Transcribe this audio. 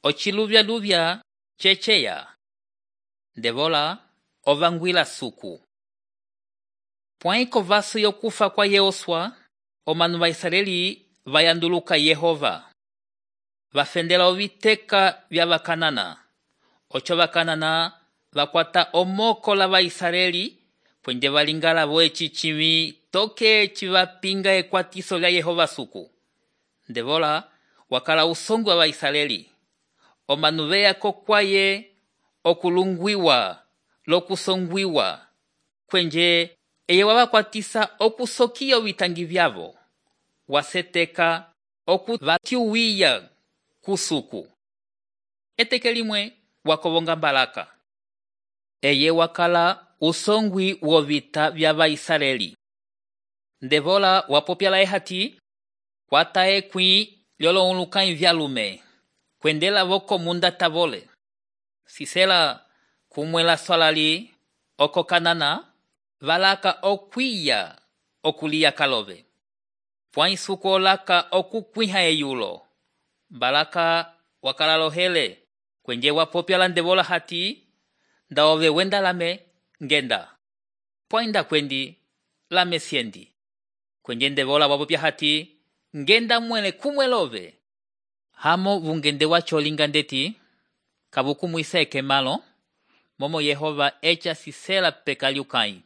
ociluvya-luvya ceceya. Ndevola ovangwila suku. Pwãyi kovaso yokufa kwa Yehoswa, omanu va Israeli vayanduluka Yehova. Vafendela oviteka vya vakanana. Oco vakanana vakwata omoko la Vaisraeli, pwende valingala voeci cimi toke civapinga ekwatiso lya Yehova suku. Ndevola wakala usongu wa Vaisraeli. Omanu veya kokwaye okulungwiwa, lokusongwiwa, kwenje eye wavakwatisa okusokiya ovitangi vyavo. Waseteka okuvatiuwiya kusuku. Eteke limwe wakovonga Balaka. Eye wakala usongwi wovita vya Vaisraeli. Ndevola wapopya laye hati, kwata ekwi lyolonlukãyi vyalume, kwendela voko munda tavole. Sisela kumwela swalali oko Kanana, valaka okwiya okuliya kalove. Pwãyi suku olaka okukwiha eyulo. Balaka wakala lohele, kwenje wapopya la Ndevola hati, nda ove wenda lame ngenda. Pwãyi nda kwendi lame siendi. Kwenje Ndevola wapopya hati, ngenda mwele kumwelove. Hamo vungende wacho olinga ndeti, kavukumwisa ekemalo, momo Yehova echa sisela peka liukãyi.